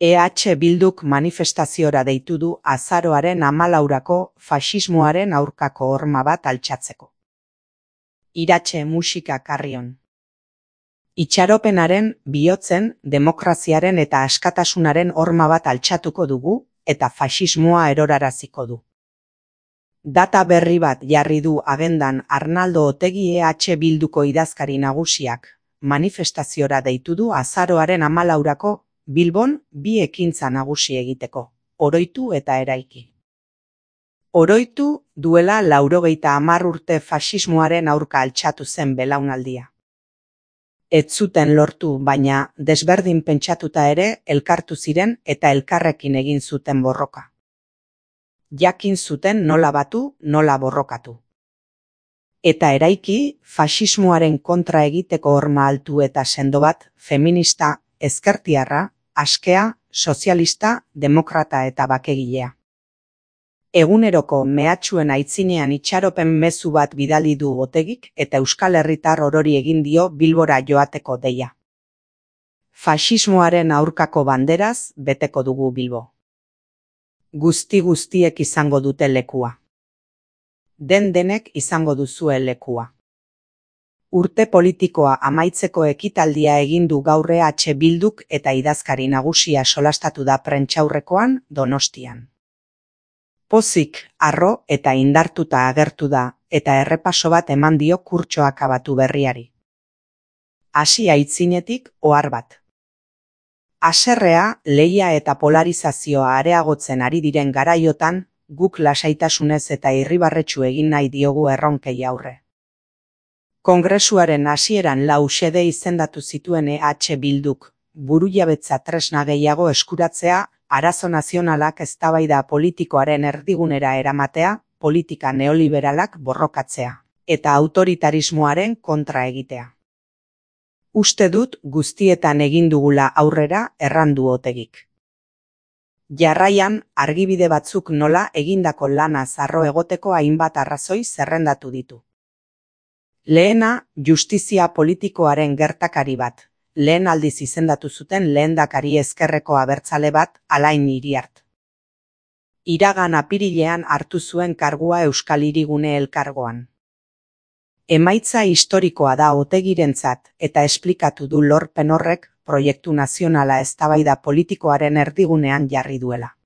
EH Bilduk manifestaziora deitu du azaroaren 14 faxismoaren aurkako horma bat altxatzeko. Iratxe musika karrion. Itxaropenaren, bihotzen, demokraziaren eta askatasunaren horma bat altxatuko dugu eta faxismoa eroraraziko du. Data berri bat jarri du agendan Arnaldo Otegi EH Bilduko idazkari nagusiak, manifestaziora deitu du azaroaren 14 Bilbon bi ekintza nagusi egiteko, oroitu eta eraiki. Oroitu duela 90 urte faxismoaren aurka altxatu zen belaunaldia. Ez zuten lortu, baina desberdin pentsatuta ere elkartu ziren eta elkarrekin egin zuten borroka. Jakin zuten nola batu, nola borrokatu. Eta eraiki, faxismoaren kontra egiteko horma altu eta sendo bat, feminista, ezkertiarra, askea, sozialista, demokrata eta bakegilea. Eguneroko mehatxuen aitzinean itxaropen mezu bat bidali du Otegik eta Euskal Herritar orori egin dio Bilbora joateko deia. Faxismoaren aurkako banderaz beteko dugu Bilbo. Guztiek izango dute lekua. Denek izango duzue lekua. Urte politikoa amaitzeko ekitaldia egin du gaur EH Bilduk eta idazkari nagusia solastatu da prentsaurrekoan Donostian. Pozik, harro eta indartuta agertu da eta errepaso bat eman dio kurtsoa akabatu berriari. Hasi aitzinetik ohar bat. Haserrea, lehia eta polarizazioa areagotzen ari diren garaiotan, guk lasaitasunez eta irribarretsu egin nahi diogu erronkei aurre. Kongresuaren hasieran 4 xede izendatu zituen EH Bilduk, burujabetza tresna gehiago eskuratzea, arazo nazionalak eztabaida politikoaren erdigunera eramatea, politika neoliberalak borrokatzea, eta autoritarismoaren kontra egitea. Uste dut guztietan egin dugula aurrera errandu Otegik. Jarraian, argibide batzuk nola egindako lana zarro egoteko hainbat arrazoi zerrendatu ditu. Lehena, justizia politikoaren gertakari bat. Lehen aldiz izendatu zuten lehendakari ezkerreko abertzale bat, Alain Iriart. Iragan apirilean hartu zuen kargua Euskal Hirigune elkargoan. Emaitza historikoa da Otegirentzat eta esplikatu du lorpen horrek proiektu nazionala eztabaida politikoaren erdigunean jarri duela.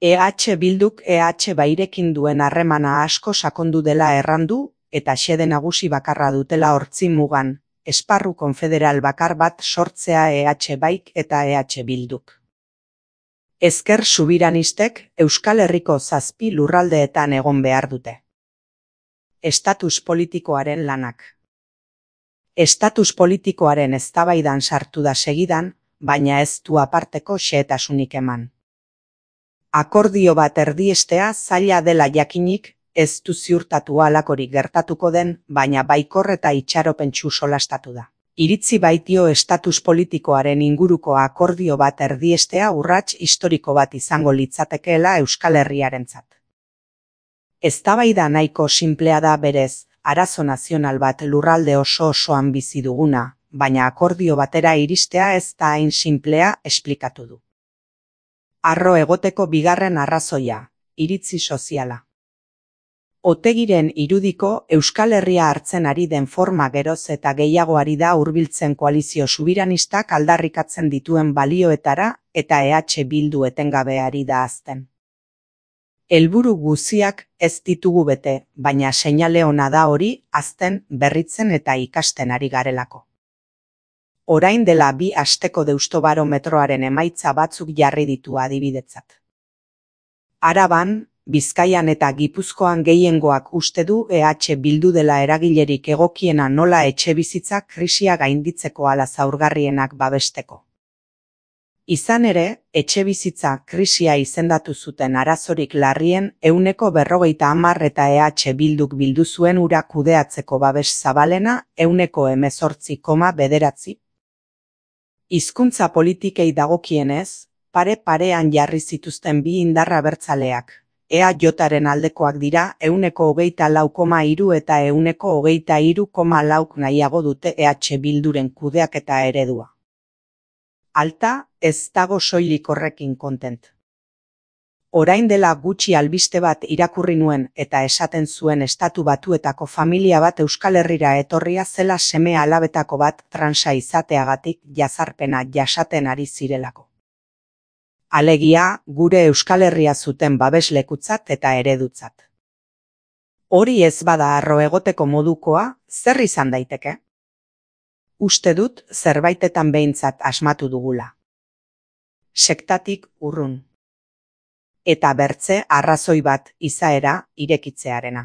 EH Bilduk EH Bairekin duen harremana asko sakondu dela errandu eta xede nagusi bakarra dutela hortzi mugan, esparru konfederal bakar bat sortzea EH Baik eta EH Bilduk. Ezker subiranistek Euskal Herriko 7 lurraldeetan egon behar dute. Estatus politikoaren lanak. Estatus politikoaren eztabaidan sartu da segidan, baina ez du aparteko xehetasunik eman. Akordio bat erdiestea zaila dela jakinik, ez du ziurtatu halakorik gertatuko den, baina baikor eta itxaropentsu solastatu da. Iritzi baitio estatus politikoaren inguruko akordio bat erdiestea urrats historiko bat izango litzatekeela Euskal Herriarentzat. Eztabaida nahiko sinplea da berez, arazo nazional bat lurralde osoan bizi duguna, baina akordio batera iristea ez da hain sinplea esplikatu du. Harro egoteko bigarren arrazoia, iritzi soziala. Otegiren irudiko Euskal Herria hartzen ari den forma geroz eta gehiagoari da hurbiltzen koalizio subiranistak aldarrikatzen dituen balioetara eta EH Bildu etengabe ari da hazten. Helburu guziak ez ditugu bete, baina seinale ona da hori hazten, berritzen eta ikasten ari garelako. Orain dela 2 asteko deustobarometroaren emaitza batzuk jarri ditu adibidetzat. Araban, Bizkaian eta Gipuzkoan gehiengoak uste du EH Bildu dela eragilerik egokiena nola etxebizitza krisia gainditzeko ala zaurgarrienak babesteko. Izan ere, etxebizitza krisia izendatu zuten arazorik larrien 50% eta EH Bilduk bildu zuen ura kudeatzeko babes zabalena 18,9. Hizkuntza politikei dagokienez, pare-parean jarri zituzten bi indar abertzaleak. EAJaren aldekoak dira 24,3 eta 23,4 nahiago dute EH Bilduren kudeaketa eredua. Alta, ez dago soilik horrekin kontent. Orain dela gutxi albiste bat irakurri nuen eta esaten zuen Estatu Batuetako familia bat Euskal Herrira etorria zela seme alabetako bat transa izateagatik jazarpena jasaten ari zirelako. Alegia, gure Euskal Herria zuten babeslekutzat eta eredutzat. Hori ez bada harro egoteko modukoa, zer izan daiteke? Uste dut zerbaitetan behintzat asmatu dugula. Sektatik urrun. Eta bertze arrazoi bat izaera irekitzearena.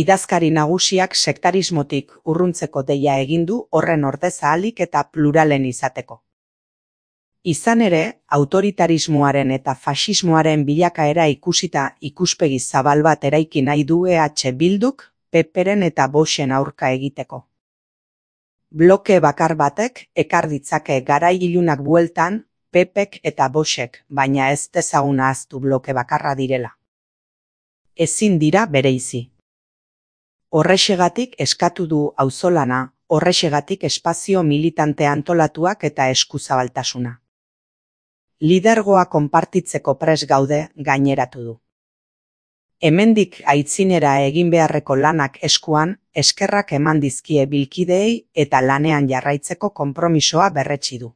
Idazkari nagusiak sektarismotik urruntzeko deia egin du horren ordez ahalik eta pluralen izateko. Izan ere, autoritarismoaren eta faxismoaren bilakaera ikusita ikuspegi zabal bat eraiki nahi du EH Bilduk, PP-ren eta Voxen aurka egiteko. Bloke bakar batek ekar ditzake garai ilunak bueltan, PP-ek eta Voxek, baina ez dezagun ahaztu bloke bakarra direla. Ezin dira bereizi. Horrexegatik eskatu du auzolana, horrexegatik espazio militante antolatuak eta eskuzabaltasuna. Lidergoa konpartitzeko pres gaude gaineratu du. Hemendik aitzinera egin beharreko lanak eskuan, eskerrak eman dizkie bilkideei eta lanean jarraitzeko konpromisoa berretsi du.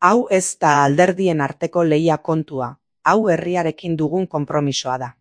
Hau ez da alderdien arteko lehia kontua, hau herriarekin dugun konpromisoa da.